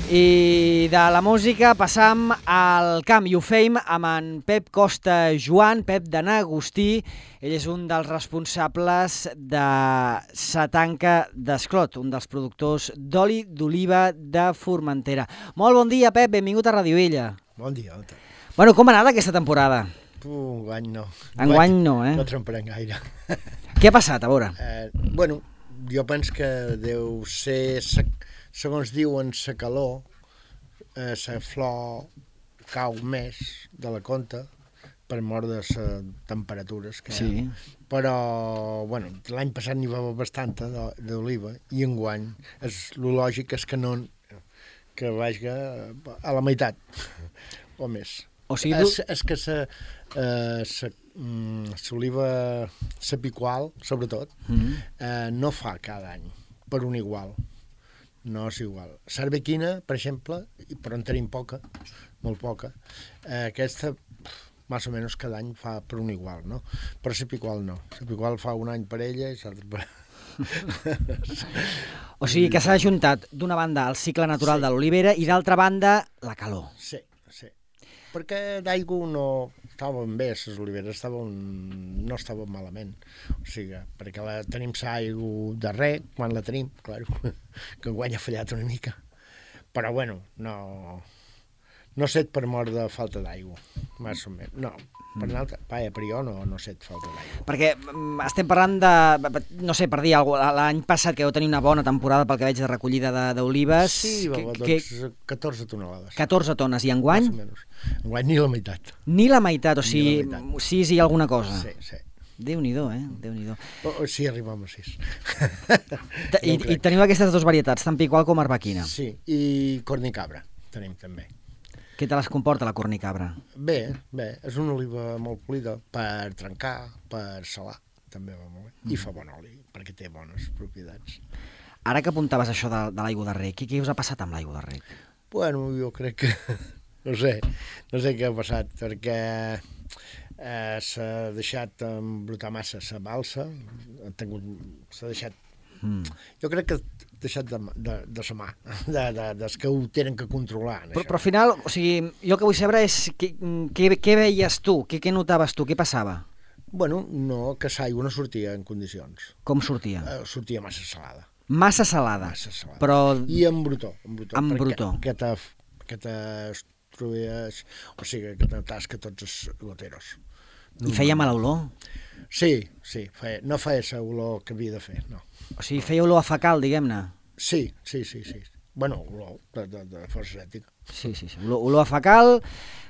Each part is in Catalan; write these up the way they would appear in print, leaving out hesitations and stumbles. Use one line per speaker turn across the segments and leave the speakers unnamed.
I de la música passam al camp i ho feim amb en Pep Costa Joan, Pep de n'Agustí. Ell és un dels responsables de Sa Tanca d'Esclot, un dels productors d'oli d'oliva de Formentera. Molt bon dia, Pep, benvingut a Radio Illa.
Bon dia.
Bueno, com ha anat aquesta temporada?
Enguany no.
Enguany no, eh?
No tremparem gaire.
Què ha passat, a veure?
Bueno, jo penso que deu ser, segons diuen, la calor, la flor cau més de la compte per mort de les temperatures que hi ha. Però, bueno, l'any passat n'hi va haver bastanta d'oliva i enguany lo lògic és que no, que vagi a la meitat o més.
O sigui,
és que l'oliva, la picual, sobretot, no fa cada any per un igual. No és igual. Cervequina, per exemple, però en tenim poca, molt poca, aquesta, més o menys cada any fa per un igual, no? Però la picual no. La picual fa un any per ella i l'altre per...
O sigui que s'ha ajuntat d'una banda el cicle natural de l'olivera i d'altra banda la calor.
Sí. Perquè d'aigua no estaven bé, les oliveres no estaven malament. O sigui, perquè tenim l'aigua de rec, quan la tenim, clar, que enguany ha fallat una mica. Però, bueno, no set per mort de falta d'aigua, més o menys. No, per jo no set falta d'aigua.
Perquè estem parlant de, no sé, per dir alguna cosa, l'any passat que heu tenir una bona temporada pel que veig de recollida d'olives.
Sí, va haver 14 tonelades.
14 tones, i enguany?
Més o menys. Enguany ni la meitat.
Ni la meitat, o sigui, 6 i alguna cosa.
Sí.
Déu-n'hi-do, Déu-n'hi-do.
Sí, arribem a 6.
I teniu aquestes dues varietats, tant picual com arbequina.
Sí, i cornicabra tenim també.
Què te les comporta la cornicabra?
Bé, és una oliva molt polida per trencar, per salar, també va molt bé. I fa bon oli, perquè té bones propietats.
Ara que apuntaves això de l'aigua de rec, què us ha passat amb l'aigua de rec?
Bueno, jo crec que... No sé què ha passat, perquè s'ha deixat embrutar massa la balsa, s'ha deixat... Jo crec que ha deixat de sa mà, dels que ho tenen que controlar.
Però al final, o sigui, jo el que vull saber és què veies tu, què notaves tu, què passava?
Bueno, no, que l'aigua no sortia en condicions.
Com sortia?
Sortia massa salada.
Massa salada?
Massa salada.
Però...
I amb brutó.
Amb brutó.
Que t'estruies, o sigui, que t'atàs que tots els goteros.
I feia mala olor?
Sí, no feia la olor que havia de fer, no.
O sigui, feia olor a fecal, diguem-ne?
Sí. Bueno, olor de força ètica.
Sí. Olor a fecal,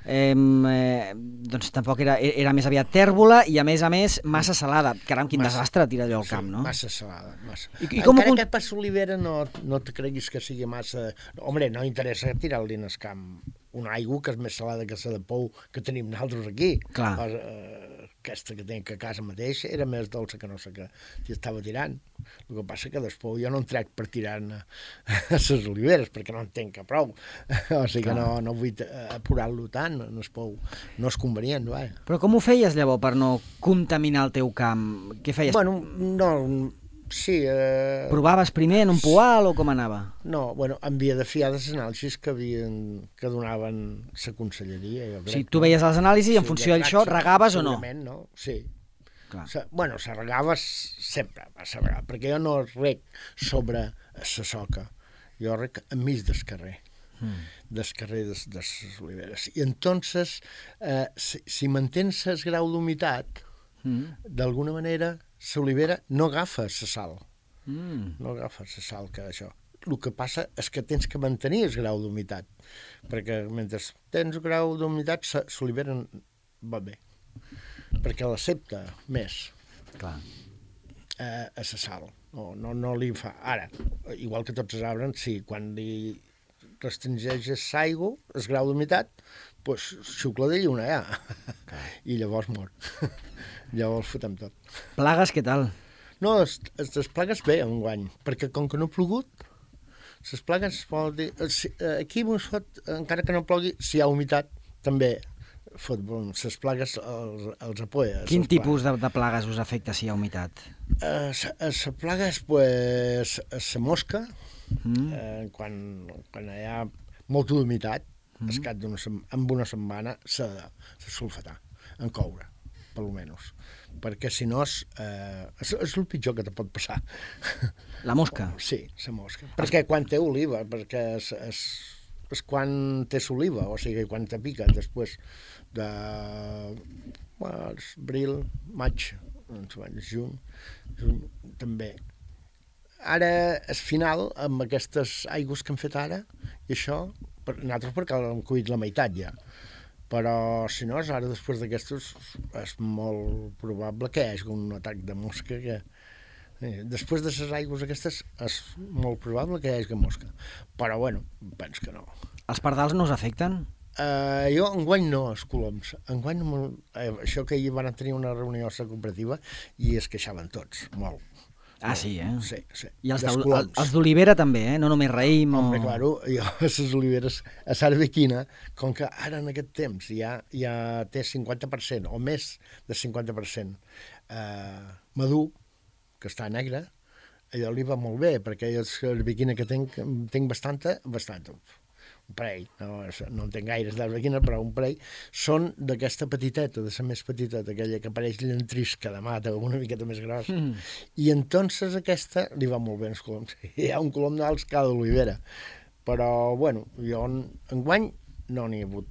doncs tampoc era més aviat tèrbola i a més massa salada. Caram, quin desastre tirar allò al camp, no?
Massa salada, massa.
Encara
que per l'olivera no te creguis que sigui massa... Hombre, no interessa tirar-li en el camp una aigua que és més salada que la de pou que tenim nosaltres aquí.
Clar.
Aquesta que tenc a casa mateix era més dolça que no sé què estava tirant. El que passa que després jo no en trec per tirar-ne a les oliveres, perquè no en tenc prou. O sigui que no vull apurar-lo tant, no és convenient. Va.
Però com ho feies llavors per no contaminar el teu camp? Què feies?
Bueno, no... Sí.
Provaves primer en un poal o com anava?
No, bueno, havia de fiar les anàlisis que donaven la conselleria. Jo crec,
tu veies les anàlisis i en funció d'això regaves o no?
No, sí.
Clar.
Bueno, se regava sempre, perquè jo no rec sobre la soca, jo rec enmig del carrer. Del carrer de les oliveres. I entonces, si mantens el grau d'humitat, d'alguna manera, l'olivera no agafa la sal. No agafa la sal que això. El que passa és que tens que mantenir el grau d'humitat, perquè mentre tens el grau d'humitat, l'olivera va bé, perquè l'accepta més.
Clar.
A la sal. No li fa... Ara, igual que tots els arbres, sí, quan li restringeixes l'aigua, el grau d'humitat, doncs xucla de lluna ja. I llavors mor. Llavors fotem tot.
Plagues, què tal?
No, les plagues bé enguany, perquè com que no ha plogut, les plagues vol dir... Aquí, encara que no plogui, si hi ha humitat, també les plagues els apoya.
Quin tipus de plagues us afecta si hi ha humitat?
Les plagues, pues, la mosca, quan hi ha molta humitat, amb una setmana s'ha de sulfatar, en coure, per almenys. Perquè si no és el pitjor que te pot passar.
La mosca?
Sí, la mosca. Perquè quan té oliva, perquè és quan té l'oliva, o sigui, quan te pica després de abril, maig, juny també. Ara, al final, amb aquestes aigües que hem fet ara, i això, nosaltres perquè hem cuit la meitat ja, però si no, ara després d'aquestos és molt probable que hi hagi un atac de mosca que... Després de les aigües aquestes és molt probable que hi hagi mosca, però bueno, penso que no.
Els pardals no us afecten?
Jo enguany no, els coloms. Enguany això que ahir van tenir una reunió a la cooperativa i es queixaven tots, molt.
Ah, sí, eh?
Sí, sí.
I els d'olivera també, no només raïm o...
Home, claro, jo a les oliveres, a Sarbequina, com que ara en aquest temps ja té 50% o més de 50% madur, que està negre, allò li va molt bé, perquè jo a Sarbequina que tinc bastanta, un parell, no en tinc gaires d'arbequina, però un parell, són d'aquesta petiteta, de la més petiteta, aquella que apareix llentrisca de mata, una miqueta més grossa. I entonces aquesta li va molt bé als coloms. Hi ha un colom d'alts cada olivera. Però, bueno, jo enguany no n'hi ha hagut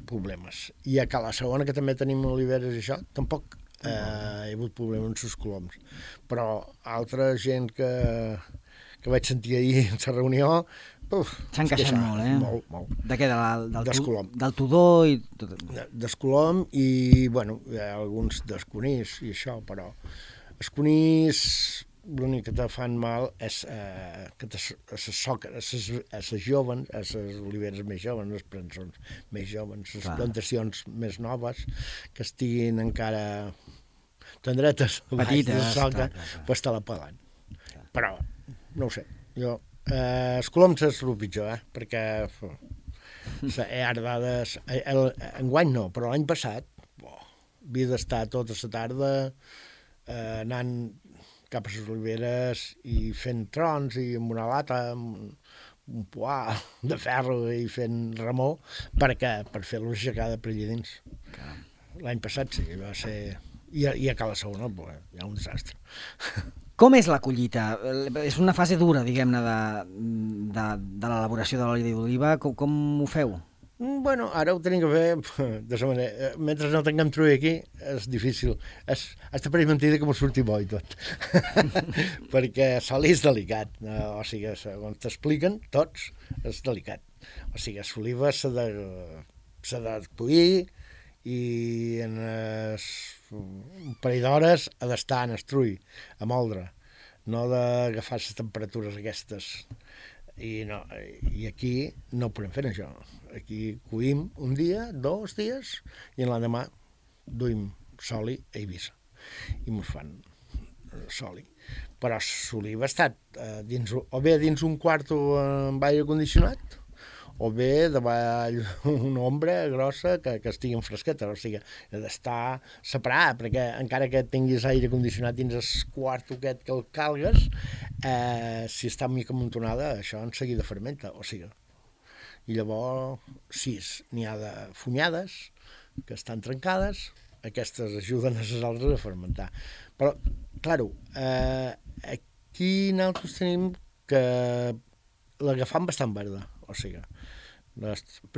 problemes. I a Cala Segona, que també tenim oliveres i això, tampoc hi ha hagut problemes amb els coloms. Però altra gent que vaig sentir ahir en la reunió,
s'han queixat molt, eh?
Molt.
De què? Del tudó i tot?
Del colom i, bueno, hi ha alguns dels conills i això, però els conills l'únic que te fan mal és que a les joves, a les oliveres més joves, les prensons més joves, les plantacions més noves, que estiguin encara tendretes,
petites,
pues te la pelen. Però, no ho sé, jo... els coloms és el pitjor, perquè enguany no, però l'any passat havia d'estar tota la tarda anant cap a les oliveres i fent trons i amb una lata, amb un poà de ferro i fent remor per fer-los aixecar de per allà dins. L'any passat sí, va ser... I a Cala Segona hi ha un desastre.
Com és la collita? És una fase dura, diguem-ne, de l'elaboració de l'oli d'oliva. Com ho feu?
Bueno, ara ho tenim que fer de la manera... Mentre no tinguem trull aquí, és difícil. Has de parir mentida que m'ho surti bo i tot. Perquè l'oli és delicat. O sigui, quan t'expliquen tots, és delicat. O sigui, l'oliva s'ha de cuir i en un parell d'hores ha d'estar en estrull, a moldre, no d'agafar les temperatures aquestes. I aquí no ho podem fer, això. Aquí cuïm un dia, 2 dies, i l'endemà duim soli a Eivissa. I mos fan soli. Però l'oliva ha estat o bé dins un quarto amb aire condicionat, o bé davall una ombra grossa que estigui en fresqueta, o sigui, ha d'estar separat, perquè encara que tinguis aire condicionat dins el quarto aquest que el calgues, si està mica amuntonada, això en seguida fermenta, o sigui. I llavors, si n'hi ha de funyades, que estan trencades, aquestes ajuden a les altres a fermentar. Però, clar, aquí nosaltres tenim que l'agafam bastant verda, o sigui,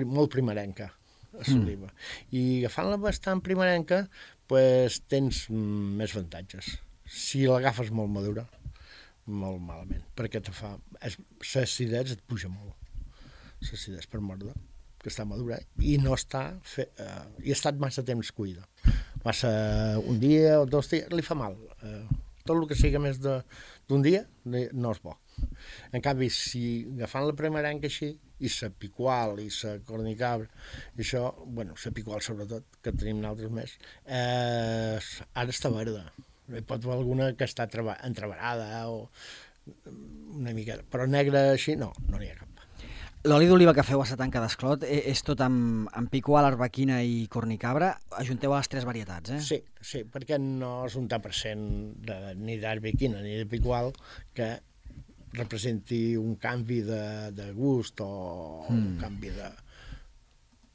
molt primerenca, l'oliva. I agafant-la bastant primerenca, pues, tens més avantatges. Si l'agafes molt madura, molt malament, perquè l'acidesa et puja molt. L'acidesa per mordre, que està madura, i no està... i ha estat massa temps cuida. Massa un dia o 2 dies, li fa mal. Tot el que sigui més d'un dia no és bo. En canvi, si agafant la primerenca així, i la picual i la cornicabra, i això, bueno, la picual sobretot, que tenim nosaltres més, ara està verda. Hi pot haver alguna que està entreverada o una mica... Però negra així, no n'hi ha cap.
L'oli d'oliva que feu a Satanca d'Esclot és tot amb picual, arbequina i cornicabra. Ajunteu a les 3 varietats, eh?
Sí, perquè no és un tant per cent ni d'arbequina ni de picual que representi un canvi de gust o un canvi de...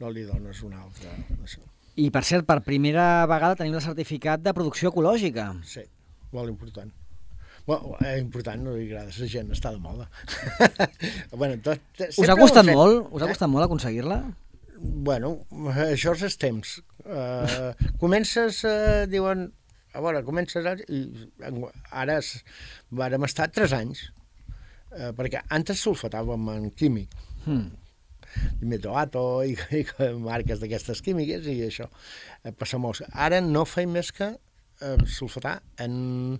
No li dones un altre... Això.
I, per cert, per primera vegada tenim el certificat de producció ecològica.
Sí, molt important. Bueno, és important, no li agrada, la gent està de moda. Bueno,
us ha costat molt? Us ha costat molt aconseguir-la?
Bueno, això és els temps. Comences, diuen, a veure, comences i ara vàrem estar 3 anys, perquè antes sulfatàvem en químic, metoato i marques d'aquestes químiques i això, passamos. Ara no feim més que sulfatar en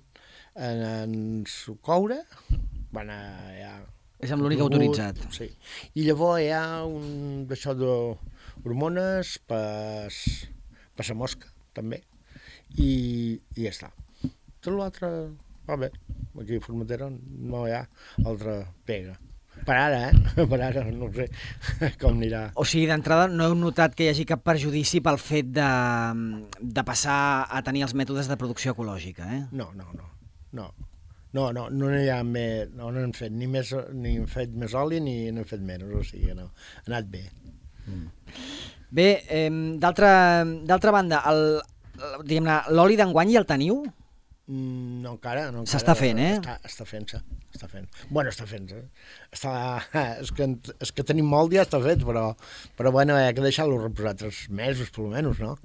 sucoure, ja...
És amb l'únic autoritzat.
Sí. I llavors hi ha un d'això d'hormones per la mosca, també. I ja està. Tot l'altre va bé. Aquí a Formentera no hi ha altra pega. Per ara, per ara, no sé com anirà.
O sigui, d'entrada no heu notat que hi hagi cap perjudici pel fet de passar a tenir els mètodes de producció ecològica, eh?
No n'hi ha més, no n'hem fet ni hem fet més oli ni n'hem fet menys, o sigui, no, ha anat bé.
Bé, d'altra banda, diguem-ne, l'oli d'enguany ja el teniu?
No, encara.
S'està fent, eh?
Està fent-se. Bueno, està fent-se. És que tenim molt ja està fet, però bueno, hi ha que deixar-lo reposar 3 mesos, per almenys, no?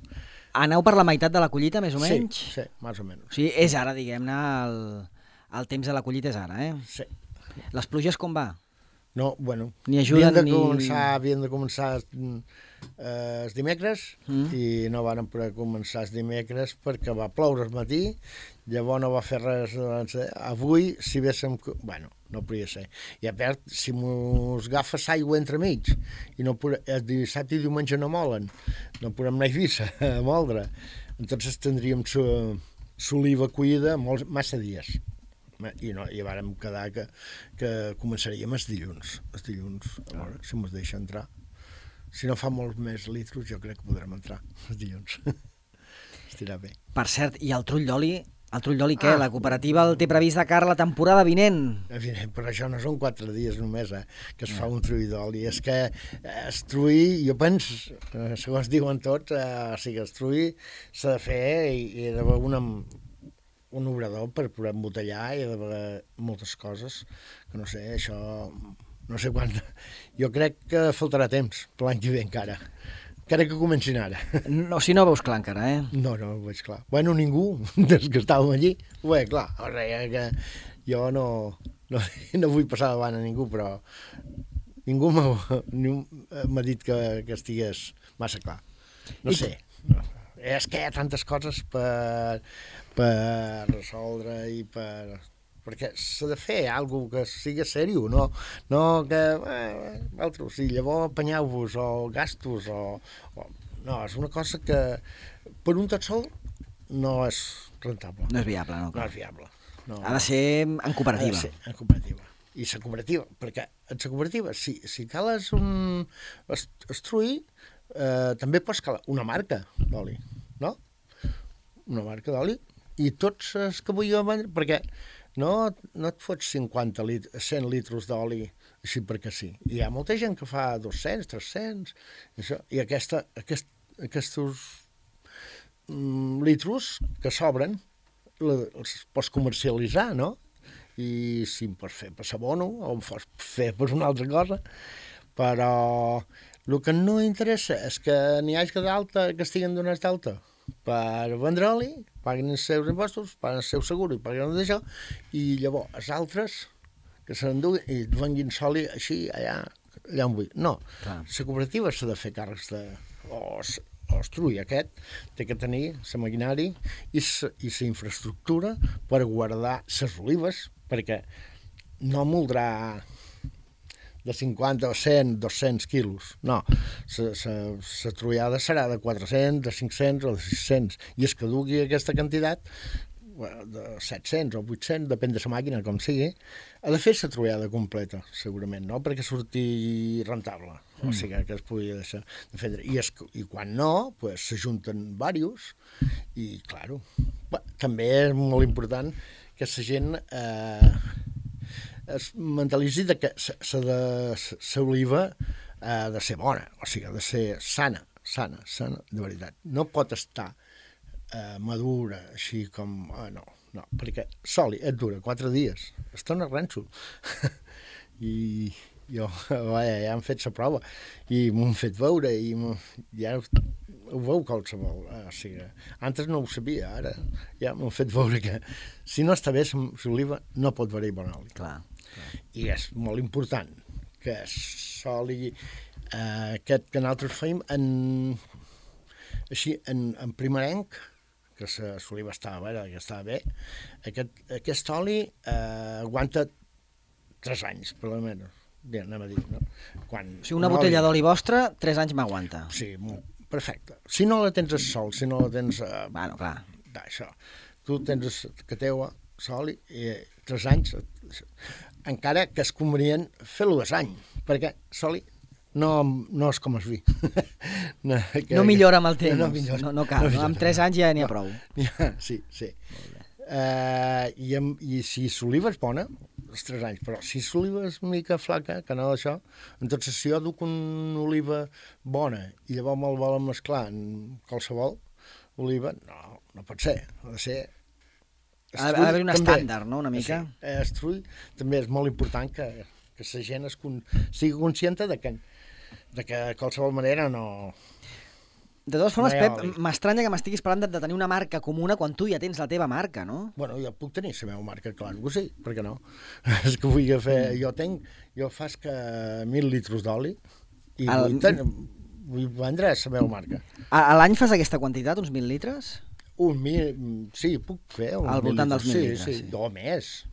Aneu per la meitat de la collita, més o menys?
Sí, més o menys.
O sigui, és ara, diguem-ne, el temps de la collita és ara, eh?
Sí.
Les pluges com va?
No, bueno,
ni ajuden
havien de començar els dimecres i no van poder començar els dimecres perquè va ploure al matí, llavors no va fer res. Avui, si véssim... Bueno, no podria ser. I a part, si mos agafes aigua entremig i no el dissabte i diumenge no molen, no podem anar a Eivissa a moldre, entonces tindríem l'oliva cuida massa dies. I vàrem quedar que començaríem els dilluns, a veure si mos deixa entrar. Si no fa molts més litros, jo crec que podrem entrar els dilluns. Estirà bé.
Per cert, i el trull d'oli? El trull d'oli què? La cooperativa el té previst de cara a la temporada vinent?
Evident, però això no són 4 dies només, que es fa un trull d'oli. És que el trull, jo penso, segons diuen tots, o sigui, el trull s'ha de fer i hi ha d'haver un obrador per poder embotellar i d'haver moltes coses, que no sé, això, no sé quan... Jo crec que faltarà temps, per l'any que ve encara que comencin ara.
No, si no veus clar encara, eh?
No ho veig clar. Bueno, ningú, des que estàvem allí, ho veig clar. O sigui que jo no vull passar davant a ningú, però ningú m'ha dit que estigués massa clar. No sé. És que hi ha tantes coses per resoldre i perquè s'ha de fer alguna cosa que sigui seriós, no que altres, si llavors apanyeu-vos o gastos no, és una cosa que per un tot sol no és rentable.
No és viable, no?
No és viable. No.
Ha de ser en cooperativa.
Ha de ser en cooperativa. I la cooperativa, perquè en la cooperativa, si cales un estruir, també pots calar una marca d'oli, no? Una marca d'oli, i tots els que vull vendre, perquè no et fots 100 litres d'oli així perquè sí. Hi ha molta gent que fa 200, 300, això, i aquests litres que sobren els pots comercialitzar, no? I si em pots fer per sabono o em pots fer per una altra cosa, però el que no interessa és que n'hi hagi d'alta que estiguen donats d'alta per vendre oli, paguen els seus impostos, paguen el seu seguro i paguen d'això, i llavors els altres que se n'enduguin i venguin soli així allà on vull. No, la cooperativa s'ha de fer càrrecs o estruir aquest, té que tenir la maquinari i la infraestructura per guardar les olives, perquè no moldrà de 50 o 100, 200 quilos. No, la trullada serà de 400, de 500 o de 600. I es que dugui aquesta quantitat, de 700 o 800, depèn de la màquina, com sigui, ha de fer la trullada completa, segurament, no? Perquè surti rentable. O sigui, que es pugui deixar de fer. I quan no, pues, s'ajunten diversos i, claro, també és molt important que la gent es mentalitzi que l'oliva ha de ser bona, o sigui, ha de ser sana, de veritat. No pot estar madura, així com... no, perquè l'oli et dura 4 dies, es torna renso. I jo, ja han fet la prova, i m'ho han fet veure, i ja ho veu qualsevol. O sigui, antes no ho sabia, ara ja m'ho han fet veure que si no està bé l'oliva no pot haver-hi bon oli.
Clar.
I és molt important que l'oli aquest que nosaltres fèiem en primerenc, que l'oliva estava bé, aquest oli aguanta 3 anys, per almenys, anem a dir, no?
O sigui, una botella d'oli vostra, 3 anys m'aguanta.
Sí, perfecte. Si no la tens al sol, si no la tens...
Bueno, clar.
D'això. Tu tens que teua l'oli i 3 anys, encara que és convenient fer-lo 2 anys, perquè l'oli no és com el vi.
No millora amb el temps, no cal. Amb 3 anys ja n'hi ha prou.
Sí. I si l'oliva és bona, els 3 anys, però si l'oliva és una mica flaca, que no d'això, entonces si jo duc una oliva bona i llavors me'l volen mesclar en qualsevol oliva, no pot ser. Ha de ser...
Ha d'haver un estàndard, no?, una mica.
Sí, estrull també és molt important que la gent sigui consciente de que de qualsevol manera no...
De totes formes, Pep, m'estranya que m'estiguis parlant de tenir una marca comuna quan tu ja tens la teva marca, no?
Bueno, jo puc tenir la meva marca, clar que sí, per què no? És que vull fer... Jo faig que 1.000 litres d'oli i vull vendre la meva marca.
A l'any fas aquesta quantitat, uns 1.000 litres?
Sí, puc fer.
Al voltant dels 1.000 litres, sí.
O més.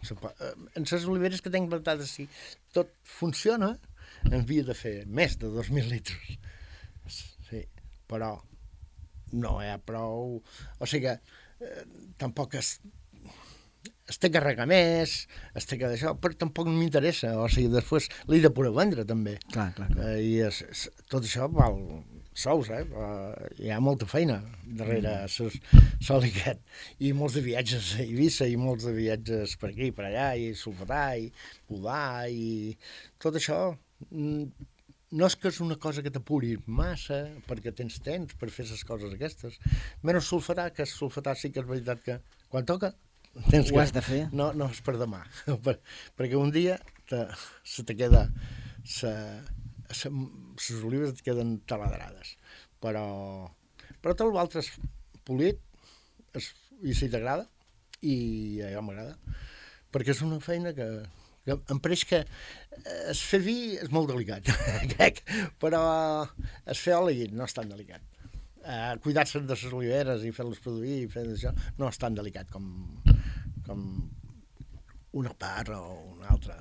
En les oliveres que tinc plantades, si tot funciona, en havia de fer més de 2.000 litres. Sí, però no hi ha prou... O sigui que tampoc es té que regar més, es té que d'això, però tampoc m'interessa. O sigui, després l'he de poder vendre, també.
Clar.
I tot això val sous, hi ha molta feina darrere l'oli aquest. I molts de viatges a Eivissa, i molts de viatges per aquí, per allà, i sulfatar, i podar, i tot això... No és que és una cosa que t'apuri massa, perquè tens temps per fer les coses aquestes. Menys sulfatar, que sulfatar sí que és veritat que quan toca tens
ho has de fer.
No és per demà, perquè un dia se te queda les olives et queden taladrades, però tot l'altre és polit i si t'agrada, i a jo m'agrada, perquè és una feina que em pareix que es fer vi és molt delicat, crec, però es fer oli no és tan delicat. Cuidar-se de les oliveres i fer-les produir i fer això no és tan delicat com una parra o una altra.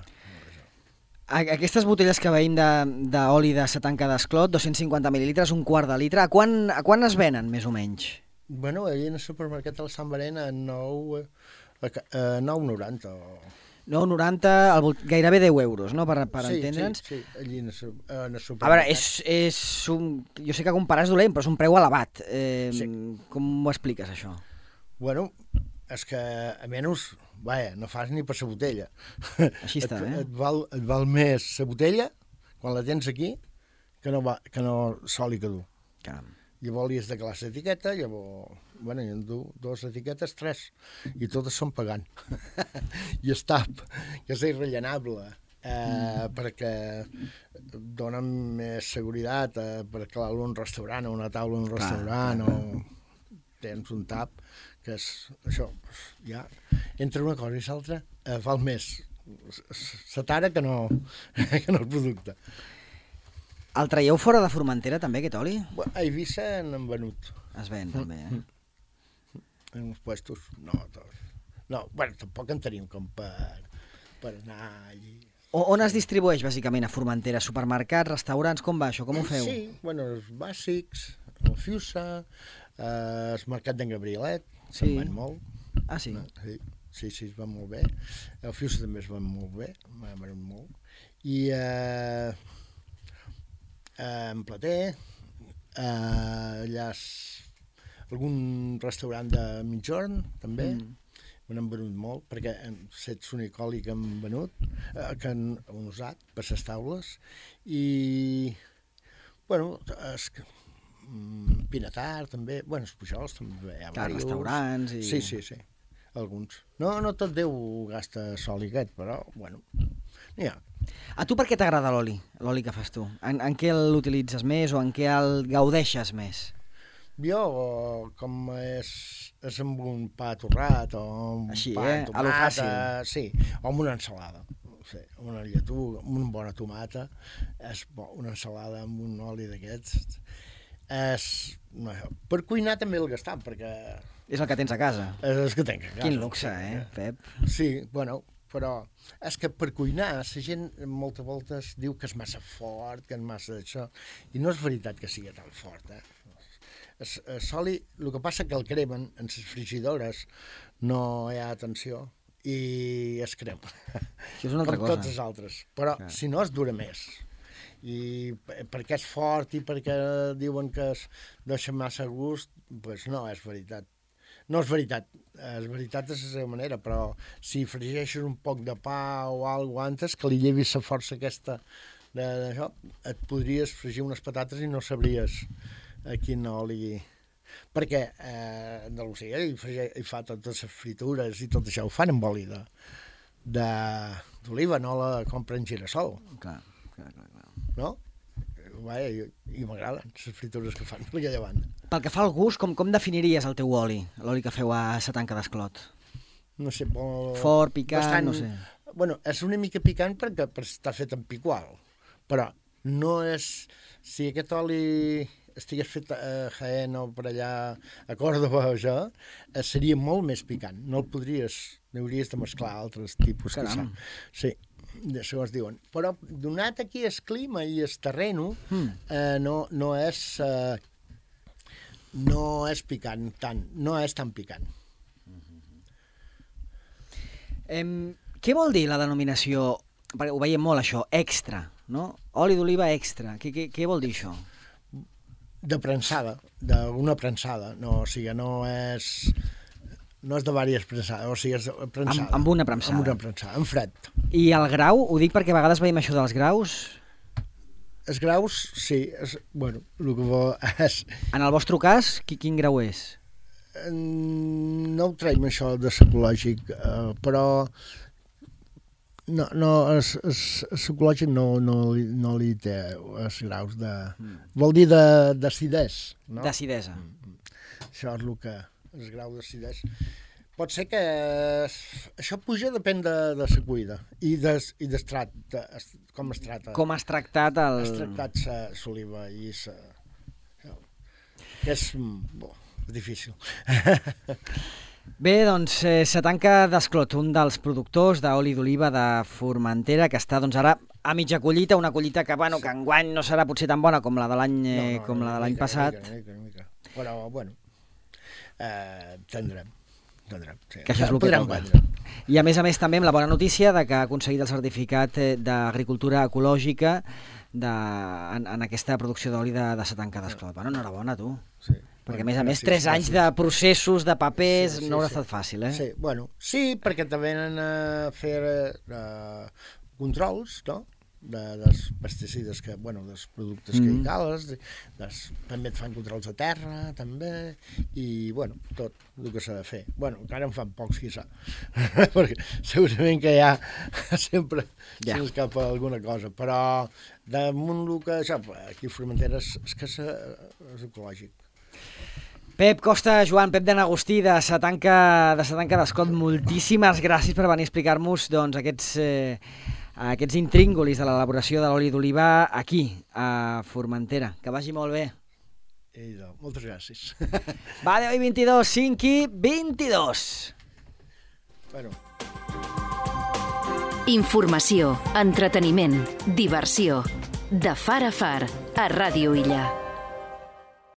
Aquestes botelles que veiem d'oli de Satanca d'Esclot, 250 mil·lilitres, un quart de litre, a quan es venen, més o menys?
Bueno, allà en el supermercat de la Sant Berena a 9,90 o...
9,90, gairebé 10 euros, no?, per entendre'ns.
Sí, allí en el supermercat.
A veure, jo sé que comparar és dolent, però és un preu elevat. Com ho expliques, això?
Bueno, és que, a menys, no fas ni per la botella.
Així està,
Et val més la botella, quan la tens aquí, que no l'oli que du.
Caram.
Llavors li has de calar l'etiqueta, llavors... Bueno, jo en du 2 etiquetes, 3, i totes són pagant. I es tap, que és irrellenable, perquè donen més seguretat per calar-lo en un restaurant, o una taula en un restaurant, o tens un tap, que és això, ja, entre una cosa i l'altra, val més la tara que no el producte.
El traieu fora de Formentera, també, aquest oli?
A Eivissa n'han venut.
Es ven, també,
En uns puestos, no, tots. No, bueno, tampoc en tenim com per anar allí.
On es distribueix, bàsicament, a Formentera? Supermercats, restaurants, com va això? Com ho feu?
Sí, bueno, els bàsics, el Fiusa, el mercat d'en Gabrielet, se'n van molt.
Ah, sí?
Sí, es van molt bé. El Fiusa també es van molt bé, m'han venut molt. I en Plater, allà algun restaurant de mitjorn, també, me n'han venut molt, perquè set l'únic oli que han venut, que han usat per les taules, i, bueno, Pinatar també, bueno, els Pujols també hi ha
diversos. Restaurants i...
Sí, alguns. No tot Déu gasta sol i aquest, però, bueno, n'hi ha.
A tu per què t'agrada l'oli que fas tu? En què l'utilitzes més o en què el gaudeixes més?
Jo, com és amb un pa torrat o un
així,
pa amb tomata,
a lo fàcil.
Sí, o amb una ensalada. Sí, amb una lletuga, amb una bona tomata, és bo, una ensalada amb un oli d'aquests. Per cuinar també el gastam, perquè...
És el que tens a casa.
És el que tenc a casa.
Quin luxe, Pep?
Sí, bueno, però és que per cuinar la gent moltes voltes diu que és massa fort, que és massa d'això, i no és veritat que sigui tan fort, El soli, el que passa que el cremen en les frigidores, no hi ha atenció i es crema.
Això és una altra cosa.
Com tots els altres. Però si no es dura més. I perquè és fort i perquè diuen que es deixa massa gust, doncs no és veritat. No és veritat. És veritat de la seva manera, però si fregeixes un poc de pa o alguna cosa antes, que li llevis la força aquesta d'això, et podries fregir unes patates i no sabries a quin oli... Perquè Andalusia hi fa totes les fritures i tot això ho fan amb oli d'oliva, no la compren girassol.
Clar.
No? Vaja, i m'agraden les fritures que fan per aquella banda.
Pel que fa al gust, com definiries el teu oli? L'oli que feu a sa Tanca d'Esclot?
No sé,
fort, picant,
bastant,
no sé.
Bueno, és una mica picant perquè està fet en picual, però no és... Si aquest oli estigués fet a Jaén o per allà a Còrdova o això, seria molt més picant. No el podries... Hauries de mesclar altres tipus.
Caram.
Sí, segons diuen. Però donat aquí el clima i el terreno, no és picant tant, no és tan picant.
Què vol dir la denominació, perquè ho veiem molt això, extra, no? Oli d'oliva extra, què vol dir això?
De prensada, d'una prensada, no, o sigui, no és de diverses prensades, o sigui, és prensada.
Amb una prensada.
Amb una prensada, en fred.
I el grau, ho dic perquè a vegades veiem això dels graus...
Els graus, sí, bueno, el que és...
En el vostre cas, quin grau és?
No ho traiem això de psicològic, però psicològic no li té els graus de... Vol dir d'acidesa, no?
D'acidesa.
Això és el que... el grau d'acidesa. Pot ser que això puja depèn de la cuida i d'estrat, com es tracta.
Com has tractat el...
Has tractat l'oliva i que és difícil.
Bé, doncs, sa Tanca d'Esclot, un dels productors d'oli d'oliva de Formentera, que està doncs, ara a mitja collita, una collita que, bueno, que enguany no serà potser tan bona com la de l'any passat.
Mica. Però, bueno, tindrem. Sí.
Que això és el que toca. I a més també amb la bona notícia de que ha aconseguit el certificat d'agricultura ecològica en aquesta producció d'oli de sa Tanca d'Esclot. Bueno, enhorabona, tu.
Sí.
Perquè a més 3 anys de processos, de papers, no haurà estat fàcil, eh?
Sí, bueno, sí, perquè també venen a fer controls, no?, dels pesticides, dels productes que hi cales, també et fan controls de terra, també, i, bueno, tot el que s'ha de fer. Bueno, encara en fan pocs, qui sap, perquè segurament que ja sempre s'escapa alguna cosa, però damunt el que, aquí a Formentera és que és ecològic.
Pep Costa, Joan, Pep d'Agustí, de sa Tanca d'Esclot, moltíssimes gràcies per venir a explicar-nos aquests intríngulis de l'elaboració de l'oli d'oliva aquí, a Formentera. Que vagi molt bé.
Moltes gràcies.
Va, 10 i 22, 5 i 22.
Bueno.
Informació, entreteniment, diversió. De far a far, a Ràdio Illa.